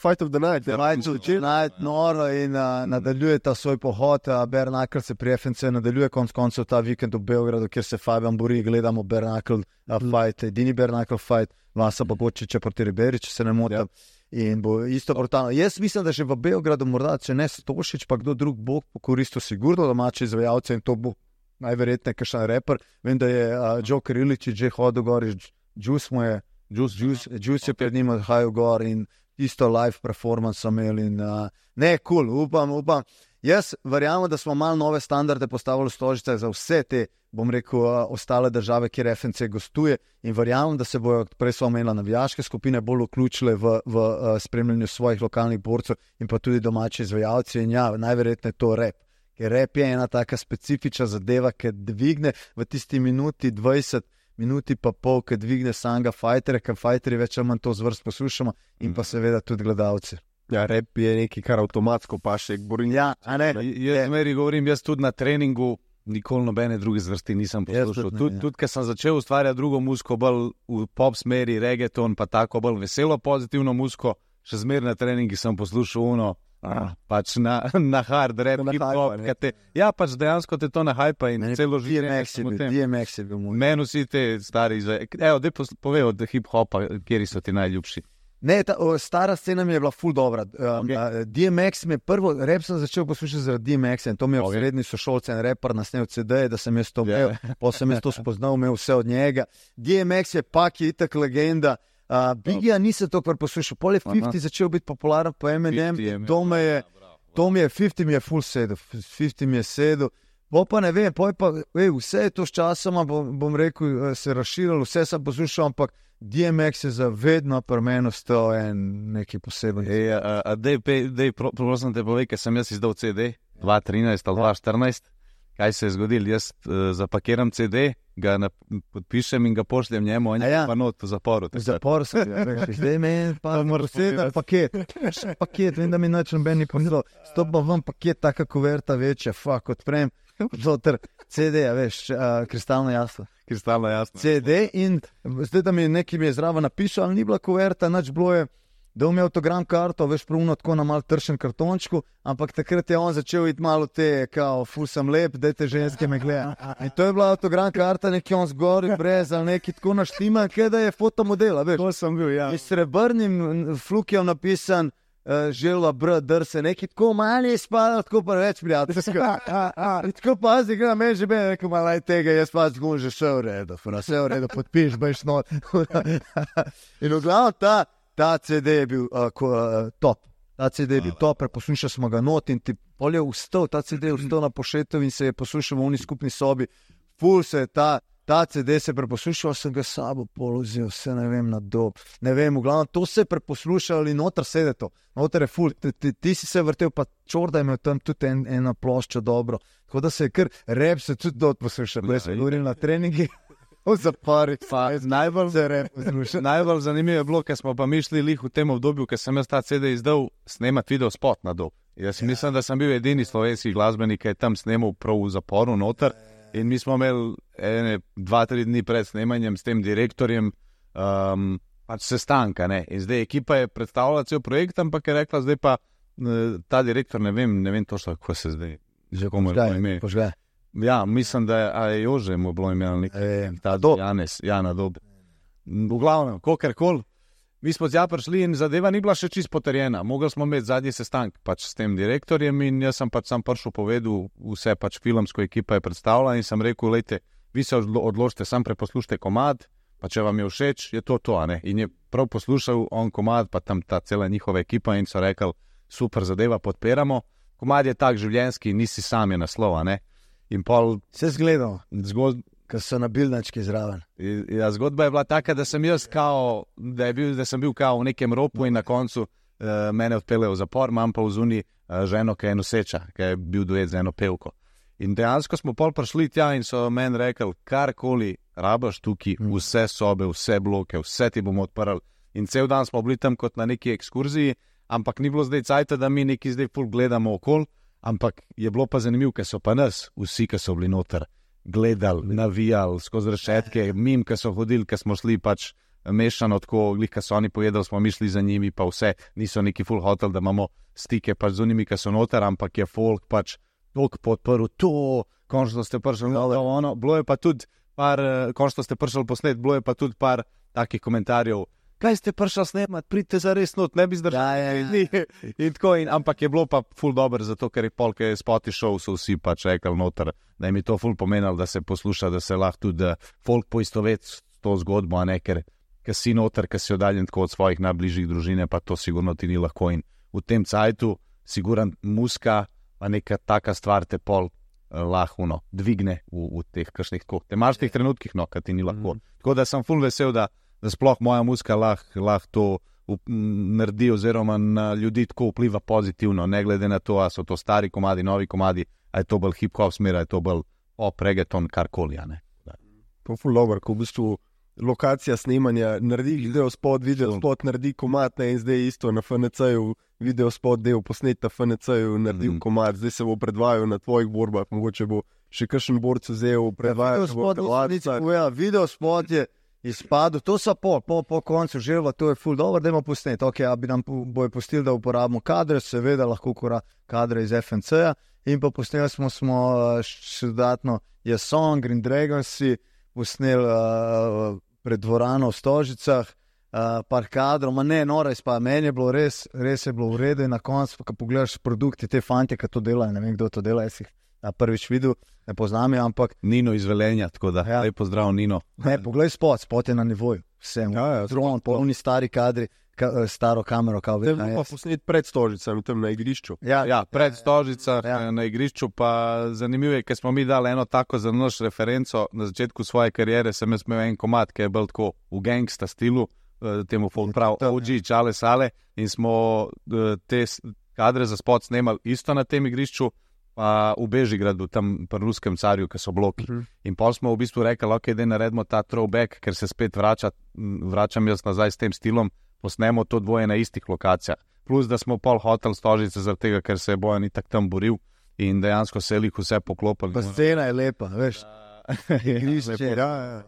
Fight of the Night. Ja, Fight of the Night, noro in uh, nadaljuje ta svoj pohod, uh, Bare Knuckle se pri F N C nadaljuje konc koncev ta vikend v Beogradu, kjer se Fabian bori, gledamo Bare Knuckle uh, fight, edini Bare Knuckle fight, Vasa Bogočiča proti Riberi, če se ne motim. Ja. In bo isto brutalno. Jaz mislim, da že v Beogradu morda, če ne Stošić, pa kdo drug bo pokoristil sigurno domače izvajalce in to bo najverjetneje kakšen reper. Vem, da je uh, Joker Iličić že hodil gor, Juice mu je, Juice, Juice, Juice je pred njim odhajal gor in isto live performance imel in uh, ne, cool, upam, upam. Jaz verjamem, da smo malo nove standarde postavili v Stožicah za vse te, bom rekel, ostale države, kjer F N C gostuje in verjamem, da se bojo, prej smo omenili, navijaške skupine bolj vključile v, v spremljanju svojih lokalnih borcev in pa tudi domači izvajalci in ja, najverjetneje to rap. Ker rap je ena taka specifična zadeva, ki dvigne v tisti minuti dvajset, minuti pa pol, ki dvigne samega fajterja, ker fajterji več ali manj to zvrst poslušamo in pa seveda tudi gledalci. Ja, rap je nekaj, kar avtomatsko paše k borinju. Ja, a ne? Jaz meri govorim, jaz tudi na treningu nikoli nobene druge zvrsti nisem poslušal. Tudi, tudi, tudi, ker sem začel ustvarjati drugo muziko, bolj v pop smeri, reggaeton, pa tako bolj veselo, pozitivno muziko, še zmer na treningi sem poslušal uno, ah, pač na, na hard rap, hip-hop. Te, ja, pač dejansko te to nahajpa in celo življenje. D M X je bil moj. Meni vsi te stari, evo, dej povej od hip-hopa, kjeri so ti najljubši. Ne, ta o, stara scena mi je bila ful dobra. Um, okay. D M X mi je prvo, rap sem začel poslušati zaradi D M X-a in to mi je okay. v srednji sošolce en rapper nasnel C D, da sem jaz to imel, yeah. pa sem jaz to spoznal, imel vse od njega. D M X je pak je itak legenda. Uh, Biggie nisem to kar poslušal, pol je fifty začel biti popularen po Eminem, to mi je, to mi je, fifty mi je ful sedel, fifty mi je sedel. Bo pa ne vem, pa, ej, vse je to s časoma, bom, bom rekel, se razširilo, vse sem poslušal, ampak D M X je za vedno pri meni ostal en nekaj poseben. Ej, a, a dej, dej, prosim te povej, ker sem jaz izdal C D dva tisoč trinajst ali dva tisoč štirinajst. Kaj se je zgodilo? Jaz uh, zapakiram C D, ga na, podpišem in ga pošljem njemu, on je ja. pa not v zaporu. V zaporu sem bil, rekel, zdaj meni pa posebej paket, še paket, vem, da mi nič noben ni ponudil, stopa ven paket, taka kuverta večja, fuck, odprem, zoter C D, veš, uh, kristalno jasno. Kristalno jasno. C D in zdaj, da mi nekaj mi je zraven napisal, ali ni bila kuverta, nič bilo je, da mi je autogram karto, veš, pravno tako na mal tršen kartončku, ampak takrat je on začel iti malo te, kao, ful sem lep, dajte ženske me gleda. In to je bila autogram karta, neki on zgori, brez, ali neki tako naštima, kaj da je fotomodela, veš. To sem bil, ja. In s srebrnim flukjem napisan, uh, želva br, drse, neki tako mali spada, tako pa več prijateljsko. In tako pazi, gre na meni že bene, neko malaj tega, jaz pa zgun že vse v redu, vse v redu, podpiš, bejš not. In v glavno ta, Ta C D je bil uh, ko, uh, top, ta C D je bil top, preposlušali smo ga not in ti pol je vstal, ta C D je vstal na Pošetovi in se je poslušal v uni skupni sobi, ful se je ta, ta C D se je preposlušal, sem ga sabo položil, vse ne vem na dob, ne vem, v glavno to se je preposlušal in noter sede to, noter je ful, ti, ti, ti si se vrtel, pa Čorda je imel tam tudi en, ena plošča dobro, tako da se je kar rap se tudi dot poslušal, da sem govoril na treningi. V zapori, najbolj, najbolj zanimivo je bilo, ker smo pa mišli lih v tem obdobju, ker sem jaz ta C D izdal snemati video spot na dob. Jaz ja. mislim, da sem bil edini slovenski glasbenik, ki je tam snemal prav v zaporu noter in mi smo imeli ene, dva, tri dni pred snemanjem s tem direktorjem um, pač sestanka, ne. In zdaj ekipa je predstavila cel projekt, ampak je rekla, zdaj pa ta direktor, ne vem, ne vem točno, kako se zdaj, že komu je ime. Požgaj. Ja, mislim, da je, je Jože mu bilo imel nekaj, e, ta dob. Janez, ja, na dob. V glavnem, kakorkoli, mi smo tja prišli in zadeva ni bila še čisto potrjena. Mogli smo imeti zadnji sestank pač s tem direktorjem in jaz sem pač sam prišel povedal, vse pač filmsko ekipa je predstavila in sem rekel, lejte, vi se odločite, sam preposlušajte komad, pa če vam je všeč, je to to, a ne. In je prav poslušal on komad, pa tam ta cela njihova ekipa in so rekli, super zadeva, podpiramo. Komad je tak življenjski, nisi sam je naslov, a ne. In pol... Se zgledal, zgod... ker so na bilnački zraven. Ja, zgodba je bila taka, da sem jaz kao, da, je bil, da sem bil kao v nekem ropu in na koncu uh, mene odpeljejo v zapor, imam pa v zuni uh, ženo, ki je noseča, ki je bil duet z eno pevko. In dejansko smo pol prišli tja in so meni rekli, karkoli rabaš tukaj, vse sobe, vse bloke, vse ti bomo odprli. In cel dan smo bili tam kot na neki ekskurziji, ampak ni bilo zdaj cajta, da mi neki zdaj ful gledamo okol. Ampak je bilo pa zanimivo, ker so pa nas, vsi, ki so bili noter, gledali, navijali, skozi rešetke, mim, ki so hodili, ki smo šli pač mešano tako, glih, ki so oni pojedali, smo mi šli za njimi, pa vse, niso neki full hotel, da imamo stike pač z unimi, ki so noter, ampak je folk pač toliko podprl, to, končno ste prišli, no, ono, bilo je pa tudi par, končno ste prišli posnet, bilo je pa tudi par takih komentarjev, kaj ste prišli snemati, pridite za res not, ne bi zdržali. Ja, ja, ja. In tako, in, ampak je bilo pa ful dober, zato ker je polk je spoti šel, so vsi pač rekli noter, da jim je to ful pomenilo, da se posluša, da se lahko tudi folk poistovet s to zgodbo, a ne, ker, ker si noter, ker si oddaljen tako od svojih najbližjih družine, pa to sigurno ti ni lahko. In v tem cajtu, siguran muska, pa neka taka stvar te pol uh, lahko no, dvigne v, v teh kakšnih tako temačnih trenutkih, no, kad ti ni lahko. Mm. Tako da sem ful vesel, da da sploh moja muzika lahko lah to up, naredi oziroma na ljudi tako vpliva pozitivno, ne glede na to, a so to stari komadi, novi komadi, a je to bolj hip-hop smer, a je to bolj pop, reggaeton, karkoli, a ne. To je ful dobro, ko v bistvu lokacija snemanja naredi video spot, video spot naredi komad, ne, in zdaj isto na F N C-ju, video spot del posnet na F N C-ju naredil mm. komad, zdaj se bo predvajal na tvojih borbah, mogoče bo še kakšen borc vzel, predvajal se bo predvajal. Video spot je izpadel, to so po, po, po koncu želva, to je ful dobro, da imamo posnet, ok, a bi nam bojo pustili, da uporabimo kadre, seveda lahko kura kadre iz F N C-ja in pa posneli smo, smo še dodatno je Song, Green Dragonsi, posneli uh, pred dvorano v Stožicah, uh, par kadrov, ma ne, nora izpada, meni je bilo res, res je bilo v redu in na koncu, ko pogledaš produkti, te fante, ki to delajo, ne vem, kdo to dela, jaz jih na prvič videl, ne poznam je, ampak... Nino iz Velenja, tako da, ja. Lej pozdrav Nino. Ne, poglej spot, spot je na nivoju, vsem, ja, ja, dron, polni stari kadri, ka, staro kamero, kao vedno. Tem pa posnet pred Stožicami, tam na igrišču. Ja, ja pred Stožicah, ja. Na igrišču, pa zanimivo je, ker smo mi dali eno tako za naš referenco, na začetku svoje karijere sem jaz imel en komad, ki je bil tako v gangsta stilu, temu folk prav, O G, Čale Sale, in smo te kadre za spot snemali isto na tem igrišču, pa v Bežigradu, tam pri ruskem carju, ki so bloki. Uh -huh. In pol smo v bistvu rekli, ok, da naredimo ta throwback, ker se spet vrača, vračam jaz nazaj s tem stilom, posnemo to dvoje na istih lokacijah. Plus, da smo pol hotel Stožice zaradi tega, ker se je Bojan itak tam boril in dejansko se je lih vse poklopili. Pa scena je lepa, veš. Grišče, ja, ja.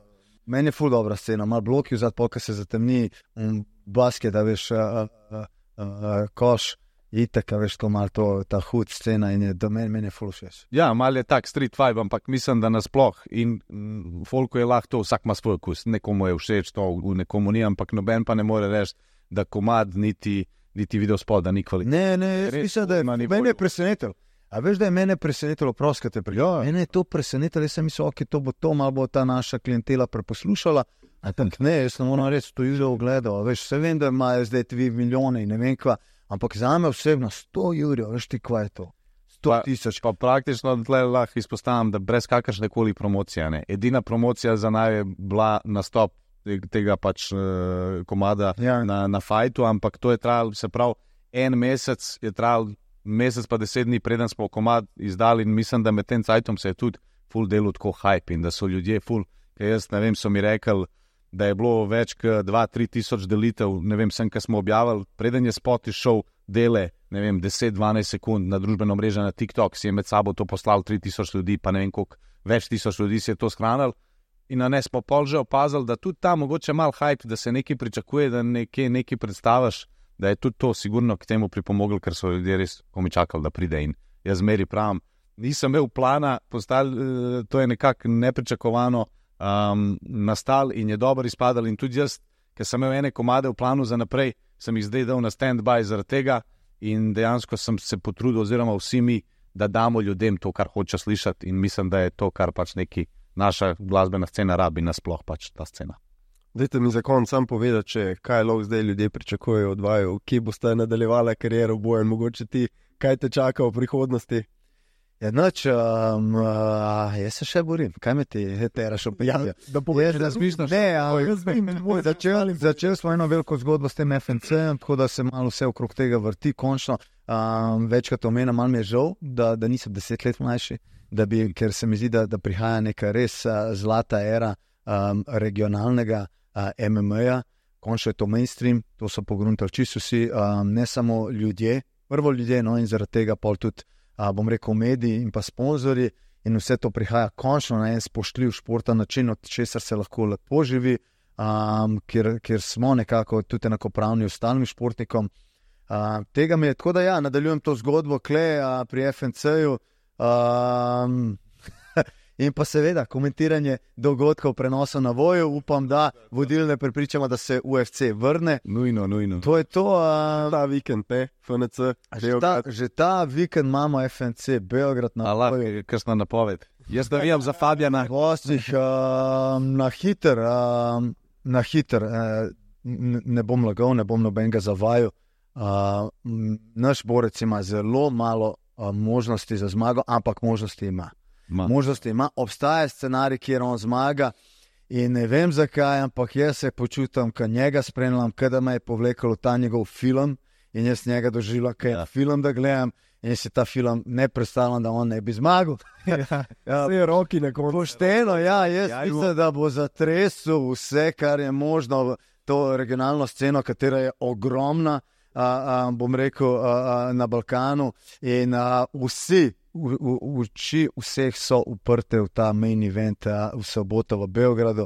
Meni je ful dobra scena, malo bloki vzad, polka se zatemni, um, basket, da veš, uh, uh, uh, uh, koš, itak, veš, to malo to, ta hud scena in je do meni, meni je ful všeč. Ja, malo je tak street vibe, ampak mislim, da nasploh in m, folku je lahko to, vsak ima svoj okus, nekomu je všeč to, nekomu ni, ampak noben pa ne more reči, da komad niti, niti video spod, da ni kvalitetno. Ne, ne, jaz mislim, da je, meni je presenetil. A veš, da je mene presenetilo, proskate prijo. Mene je to presenetilo, jaz sem mislil, ok, to bo to, malo bo ta naša klientela preposlušala. A tak ne, jaz ne moram reči, to je ogledal. Veš, vse vem, da imajo zdaj tvi milijone in ne vem kva, ampak za me osebno sto jurjev, veš ti kva je to? sto tisoč. Pa praktično tle lahko izpostavim, da brez kakršne koli promocije, ne. Edina promocija za naj je bila nastop tega pač uh, komada ja. na, na fajtu, ampak to je trajalo, se pravi, en mesec je trajalo, mesec pa deset dni, preden smo komad izdali in mislim, da med tem cajtom se je tudi ful delo tako hype in da so ljudje ful, ker jaz ne vem, so mi rekli, da je bilo več kot dva, tri tisoč delitev, ne vem, sem, kaj smo objavili, preden je spot išel dele, ne vem, deset, dvanajst sekund na družbeno mrežo na TikTok, si je med sabo to poslal tri tisoč ljudi, pa ne vem, koliko več tisoč ljudi si je to shranil in na ne smo pol že opazili, da tudi ta mogoče mal hype, da se nekaj pričakuje, da nekaj, nekaj predstaviš, da je tudi to sigurno k temu pripomoglo, ker so ljudje res komi čakali, da pride in jaz zmeri pravim. Nisem imel plana, postal, to je nekako nepričakovano um, nastal in je dobro izpadal in tudi jaz, ker sem imel ene komade v planu za naprej, sem jih zdaj dal na stand-by zaradi tega in dejansko sem se potrudil oziroma vsi mi, da damo ljudem to, kar hoče slišati in mislim, da je to, kar pač neki naša glasbena scena rabi nasploh pač ta scena. Dajte mi za konec sam povedati, če kaj lahko zdaj ljudje pričakujejo od vaju, kje boste nadaljevala kariero Bojan, mogoče ti, kaj te čaka v prihodnosti? Ja, noč, um, uh, jaz se še borim, kaj me ti teraš opijati? Ja, da poveš, da smišno še. Ne, ja, začel, začel smo eno veliko zgodbo s tem F N C-em, tako da se malo vse okrog tega vrti, končno. Um, večkrat omenjam, malo mi je žal, da, da nisem deset let mlajši, da bi, ker se mi zdi, da, da prihaja neka res uh, zlata era um, regionalnega Uh, M M A-ja, končno je to mainstream, to so pogruntali čisto vsi, um, ne samo ljudje, prvo ljudje, no in zaradi tega pol tudi, uh, bom rekel, mediji in pa sponzorji in vse to prihaja končno na en spoštljiv športa način, od česar se lahko lepo živi, um, kjer, kjer smo nekako tudi enakopravni ostalim športnikom. Uh, tega mi je, tako da ja, nadaljujem to zgodbo kle uh, pri F N C-ju, um, in pa seveda komentiranje dogodkov prenosov na voju, upam, da vodilne prepričamo, da se U F C vrne. Nujno, nujno. To je to. Uh, ta vikend, ne, F N C. Že ta, že ta vikend imamo F N C, Beograd na voju. Krsna napoved. Jaz da vijam za Fabjana. Gostih, uh, na hiter, uh, na hiter, uh, ne bom lagal, ne bom nobenega zavajal. Uh, naš borec ima zelo malo uh, možnosti za zmago, ampak možnosti ima. Ma. Možnosti ima, obstaja scenarij, kjer on zmaga in ne vem zakaj, ampak jaz se počutam, kad njega spremljam, kada me je povlekalo ta njegov film in jaz njega doživljam, kad je ja. film da gledam in si ta film ne predstavljam, da on ne bi zmagal. ja, ja, vse roki nekoliko. Pošteno, ja, jaz ja, mislim, da bo zatresel vse, kar je možno, to regionalno sceno, katera je ogromna, a, a, bom rekel, a, a, na Balkanu in a, vsi, V, v, oči vseh so uprte v ta main event v soboto v Beogradu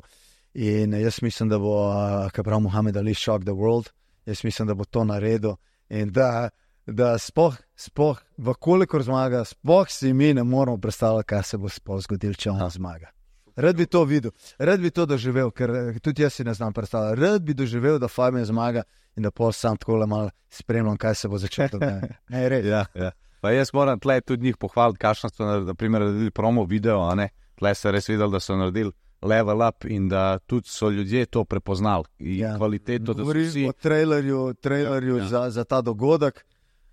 in jaz mislim, da bo, kaj pravi Muhammad Ali, shock the world, jaz mislim, da bo to naredil in da, da spoh, spoh, vkolikor zmaga, spoh si mi ne moramo predstavljati, kaj se bo spoh zgodil, če on zmaga. Rad bi to videl, rad bi to doživel, ker tudi jaz si ne znam predstavljati, rad bi doživel, da Fabian zmaga in da pol sam takole malo spremljam, kaj se bo začelo. Ne, ne, res. Ja, ja. Pa jaz moram tle tudi njih pohvaliti, kakšno so naredili promo video, a ne? Tle se res videli, da so naredili level up in da tudi so ljudje to prepoznali. Ja. Kvaliteto, da so vsi... o trailerju, trailerju ja. za, za ta dogodek.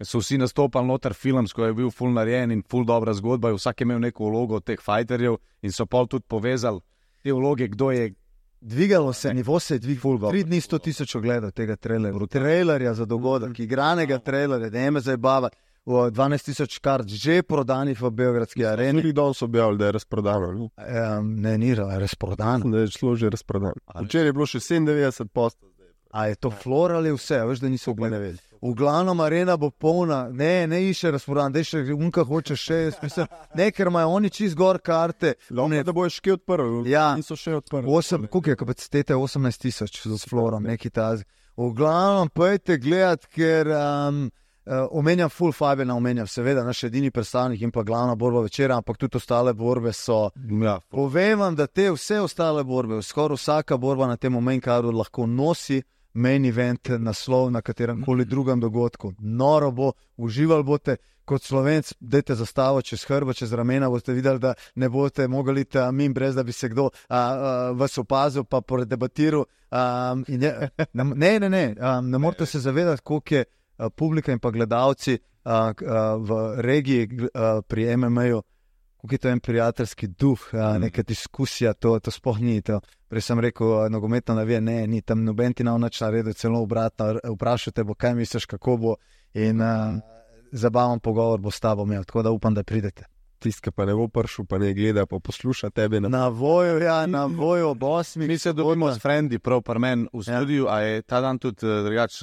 So vsi nastopali noter filmsko, je bil ful narejen in ful dobra zgodba, vsak je imel neko vlogo od teh fighterjev in so pol tudi povezali te vloge, kdo je... Dvigalo se, ne. Nivo se je dvigalo. Tri dni sto tisoč ogledov tega trailerja. Trailerja za dogodek, igranega trailerja, da ne me zabavati. dvanajst tisoč kart že prodanih v Beogradski areni. Tudi danes so objavili, da je razprodano. Ne, Um, ne ni razprodano. da je šlo že razprodano. Včeraj je bilo še sedemindevetdeset posto. A je to flor ali vse? Veš, da niso gledali. V glavnem arena bo polna, ne, ne išče razprodan, da še unka hoče še, mislim, ne, ker imajo oni čist gor karte. Ne, da bojo še odprli, ja, niso še odprli. osem, koliko je kapacitete? osemnajst tisoč z florom, neki tazi. V glavnem, pojďte gledat, ker um, uh, omenjam full five, ne omenjam, seveda, naš edini predstavnik in pa glavna borba večera, ampak tudi ostale borbe so. Ja. Povem vam, da te vse ostale borbe, skoraj vsaka borba na tem main cardu lahko nosi main event naslov na katerem koli drugem dogodku. Noro bo, uživali boste kot Slovenc, dajte zastavo čez hrba, čez ramena, boste videli, da ne boste mogli iti mimo, brez da bi se kdo a, a, vas opazil pa predebatiral. Um, ne, ne, ne, ne, um, ne morate se zavedati, koliko je a, publika in pa gledalci a, a, v regiji a, pri M M A-ju, koliko je to en prijateljski duh, a, neka diskusija, to, to sploh ni to. Prej sem rekel, nogometno navija, ne, ni tam noben ti na nič naredil, celo obratno, vprašate bo, kaj misliš, kako bo in a, zabaven pogovor bo s tabo imel, tako da upam, da pridete. Tisti, pa ne bo prišel, pa ne gleda, pa posluša tebe. Na, na voju, ja, na voju ob osmih. Mi se dobimo s frendi, prav par men v studiu, ja. A je ta dan tudi uh, drugač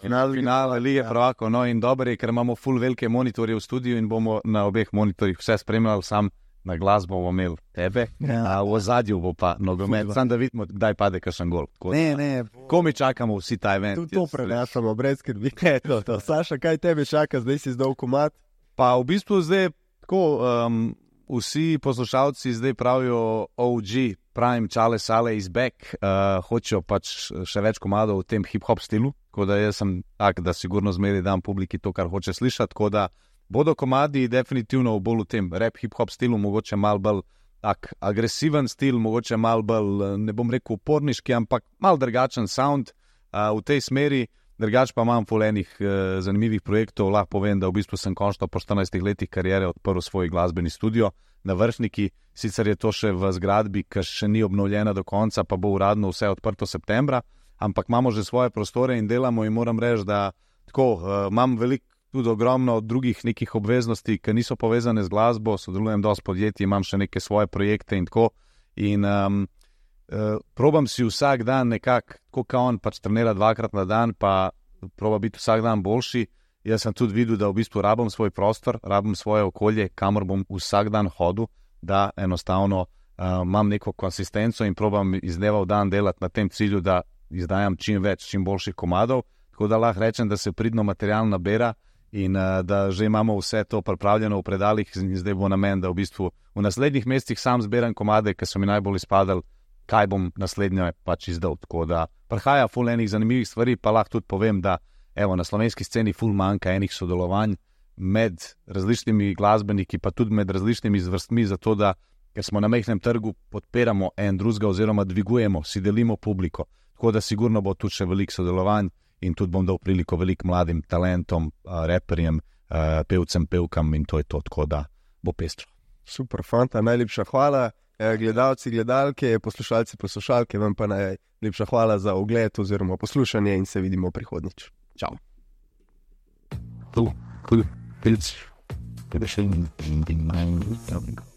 final, finale Lige prvakov, no in dobro je, ker imamo full velike monitorje v studiu in bomo na obeh monitorjih vse spremljali, sam na glas bomo imeli tebe, ja. A v ozadju bo pa nogomet, sam da vidimo, kdaj pade kakšen gol. Ne, ne. Ko mi čakamo vsi ta event. Tudi to prenašamo, brez skrbi. to, to. Saša, kaj tebe čaka, zdaj si zdal komad? Pa v bistvu zdaj tako, um, vsi poslušalci zdaj pravijo O G, Prime, Čale, Sale is back, uh, hočejo pač še več komadov v tem hip-hop stilu, tako da jaz sem tak, da sigurno zmeri dam publiki to, kar hoče slišati, tako da bodo komadi definitivno bolj v tem rap hip-hop stilu, mogoče mal bolj tak agresiven stil, mogoče mal bolj, ne bom rekel uporniški, ampak mal drugačen sound uh, v tej smeri. Drugač pa imam ful enih uh, zanimivih projektov, lahko povem, da v bistvu sem končno po štirinajstih letih karijere odprl svoj glasbeni studio na Vršniki, sicer je to še v zgradbi, ki še ni obnovljena do konca, pa bo uradno vse odprto septembra, ampak imamo že svoje prostore in delamo in moram reči, da tako, uh, imam veliko, tudi ogromno drugih nekih obveznosti, ki niso povezane z glasbo, sodelujem dosti podjetij, imam še neke svoje projekte in tako in um, Uh, probam si vsak dan nekako, kot on pač trenira dvakrat na dan, pa proba biti vsak dan boljši. Jaz sem tudi videl, da v bistvu rabim svoj prostor, rabim svoje okolje, kamor bom vsak dan hodil, da enostavno uh, imam neko konsistenco in probam iz dneva v dan delati na tem cilju, da izdajam čim več, čim boljših komadov, tako da lahko rečem, da se pridno material nabera in uh, da že imamo vse to pripravljeno v predalih in zdaj bo namen, da v bistvu v naslednjih mesecih sam zberam komade, ki so mi najbolj izpadali, kaj bom naslednjo pač izdal. Tako da prihaja ful enih zanimivih stvari, pa lahko tudi povem, da evo, na slovenski sceni ful manjka enih sodelovanj med različnimi glasbeniki, pa tudi med različnimi zvrstmi, zato da, ker smo na majhnem trgu, podpiramo en drugega oziroma dvigujemo, si delimo publiko. Tako da sigurno bo tudi še veliko sodelovanj in tudi bom dal priliko veliko mladim talentom, reperjem, pevcem, pevkam in to je to, tako da bo pestro. Super, fanta, najlepša hvala. Gledalci, gledalke, poslušalci, poslušalke, vam pa najlepša hvala za ogled oziroma poslušanje in se vidimo prihodnjič. Čau. Tu, tu, tu, tu, tu, tu, tu, tu, tu, tu, tu, tu,